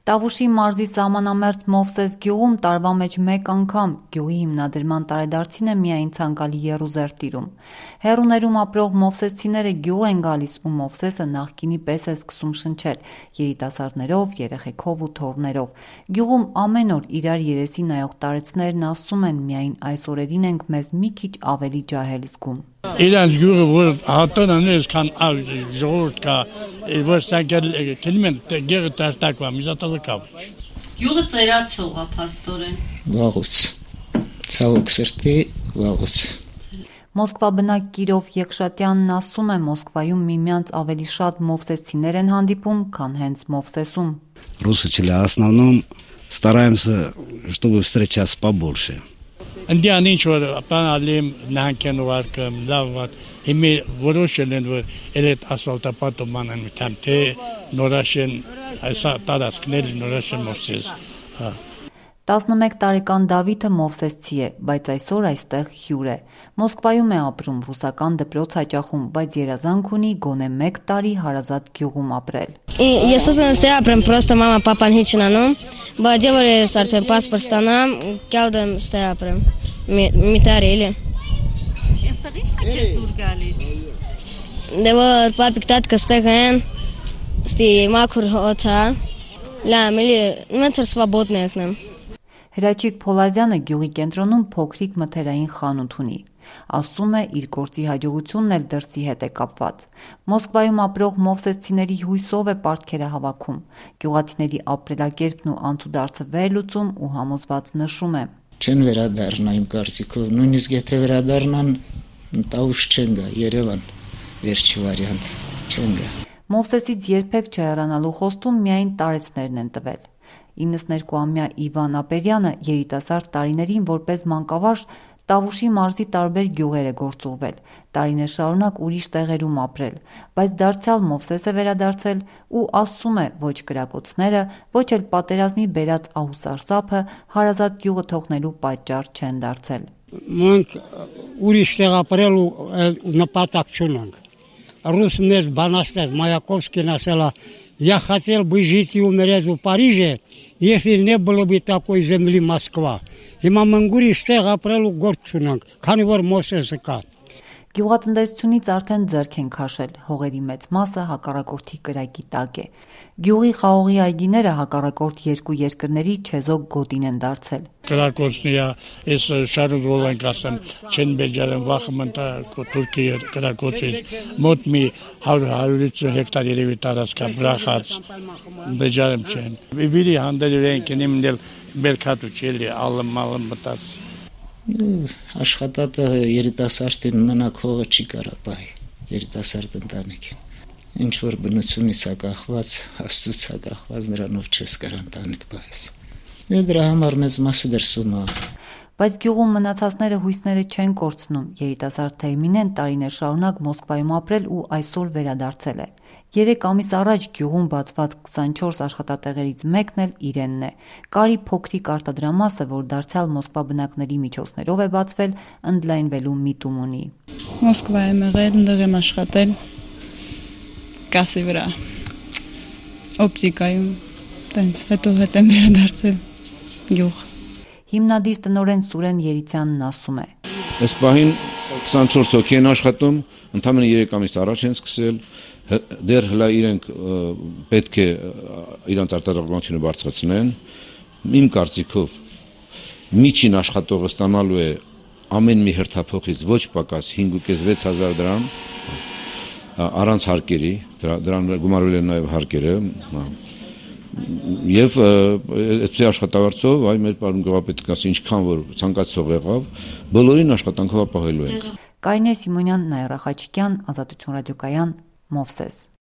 Տավուշի մարզի սահմանամերձ Մովսես գյուղում տարվա մեջ մեկ անգամ գյուղի հիմնադրման տարեդարձին է միայն ցանկալի եռուզեռ տիրում։ Հեռուներում ապրող մովսեսցիները գյուղ են գալիս ու Մովսեսը նախկինի պես է սկսում շնչել երիտասարդներով, երեխեքով ու թոռներով։ Գյուղում ամեն օր իրար երեսի նայող տարեցներն ասում են միայն այս օրերին ենք մեզ մի քիչ ավելի ջահել զգում։ Իրանց գյուղը որ հատանան այսքան ժողովուրդ կա, որ սակել կլիմեն գեղը տարտակվա միզատալը կավչ։ Գյուղը ծերացող է փաստորեն։ Վաղուց։ Ցավոք սրտի վաղուց։ Մոսկվա բնակ Կիրով Եղշատյանն ասում է Մոսկվայում միմյանց ավելի շատ մովսեսցիներ են հանդիպում, քան հենց Մովսեսում։ Русичи в основном стараемся, чтобы встречаться побольше. Անդիան ինչ որ բանալիմ նահանգեն ուղարկում, լավ վատ, հիմի որոշել են, որ այդ ասֆալտապատում անեն միտամ, թե նորաշեն, այսա տարածքնել նորաշեն Մովսես, 11 տարեկան Դավիթը մովսեսցի է, բայց այսօր այստեղ հյուր է։ Մոսկվայում է ապրում, ռուսական դպրոց հաճախում, բայց երազանք ունի գոնե 1 տարի հարազատ գյուղում ապրել։ Ես ուզում եմ ստեղ ապրեմ, պրոստը մամա պապան հիչ նանում, բայց դեռ ես արդեն պասպորտ ստանամ, կյալդեմ ստեղ ապրեմ։ Մի տարի էլի։ Այստեղ ի՞նչն է քեզ դուր գալիս։ Դե որ պապիկ տատկը ստեղ են, ստի մաքուր հոթա, լամ էլի, մենք սվաբոդն եկնեմ։ Հրաչիկ Փոլազյանը գյուղի կենտրոնում փոքրիկ մթերային խանութ ունի։ Ասում է իր գործի հաջողությունն էլ դրսի հետ է կապված։ Մոսկվայում ապրող մովսեսցիների հույսով է պարտքերը հավաքում։ Գյուղացիների ապրելակերպն ու անցուդարձը վերլուծում ու համոզված նշում է։ Չեն վերադառնա իմ կարծիքով, նույնիսկ եթե վերադառնան, Տավուշ չեն գա, Երևան, վերջի վարիանտ, չեն գա։ Մովսեսից երբեք չհեռանալու խոստում միայն տարեցներն են տվել։ 92-ամյա Իվան Ապերյանը երիտասարդ տարիներին որպես մանկավարժ Տավուշի մարզի տարբեր գյուղեր է գործուղվել, տարիներ շարունակ ուրիշ տեղերում ապրել, բայց դարձյալ Մովսես է վերադարձել ու ասում է ոչ կրակոցները, ոչ էլ պատերազմի բերած ահուսարսափը հարազատ գյուղը թողնելու պատճառ չեն դարձել։ Մենք ուրիշ տեղ ապրել ու նպատակ չունենք։ Ռուս մեզ բանաստած Մայակովսկին ասել է «Я хотел бы жить и умереть в Париже, если не было бы такой земли Москва». Հիմա մենք ուրիշ տեղ ապրելու գործ չունենք, քանի որ Մովսեսը կա։ Գյուղատնտեսությունից արդեն ձեռք են քաշել, հողերի մեծ մասը հակառակորդի կրակի տակ է։ Գյուղի խաղողի այգիները հակառակորդ երկու երկրների չեզոք գոտին են դարձել։ Կրակոցնիա, այս շարուզվոլ ենք ասեմ, չեն բեջարեն վախմն Թուրքիա կրակոցից, մոտ մի 100-150 հեկտար երևի տարածքա բրախած, բեջարեմ չեն։ Վիրի հանդել են կնիմնել բերքատու չելի, ալմ մտած։ Աշխատատը երիտասարդին մնակ հողը չի կարա պահի, երիտասարդ ընտանիքին։ Ինչ որ բնությունից ակախված, Աստծուց ակախված նրանով չես կար ընտանիք պահես։ Դրա համար մեծ մասը դրսում է։ Բայց գյուղում մնացածները հույսները չեն կորցնում։ Երիտասարդ Թեյմինեն տարիներ շարունակ Մոսկվայում ապրել ու այսօր վերադարձել է։ 3 ամիս առաջ գյուղում բացված 24 աշխատատեղերից մեկն էլ իրենն է։ Կարի փոքրիկ արտադրամասը, որ դարձյալ Մոսկվա բնակների միջոցներով է բացվել, ընդլայնվելու միտում ունի։ Մոսկվա եմ եղել, ընդեղ եմ աշխատել կասի վրա, օպտիկայում, տենց, հետո հետ եմ վերադարձել գյուղ։ Հիմնադիր տնօրեն Սուրեն Երիցյանն ասում է. Այս պահին 24 հոգի են աշխատում, ընդամենը 3 ամիս առաջ են սկսել, դեռ հլա իրենք պետք է իրանց արտադրողությունը բարձրացնեն։ Իմ կարծիքով միջին աշխատողը ստանալու է ամեն մի հերթափոխից ոչ պակաս 5.5-6 հազար դրամ առանց հարկերի, դրան գումարվել են նաև հարկերը։ Եվ այդ աշխատավարձով այ մեր պարոն գյուղապետն ասի ինչքան որ ցանկացող եղավ, բոլորին աշխատանքով ապահովելու ենք։ Կարինե Սիմոնյան, Նաիրա Խաչիկյան, Ազատություն ռադիոկայան, Մովսես։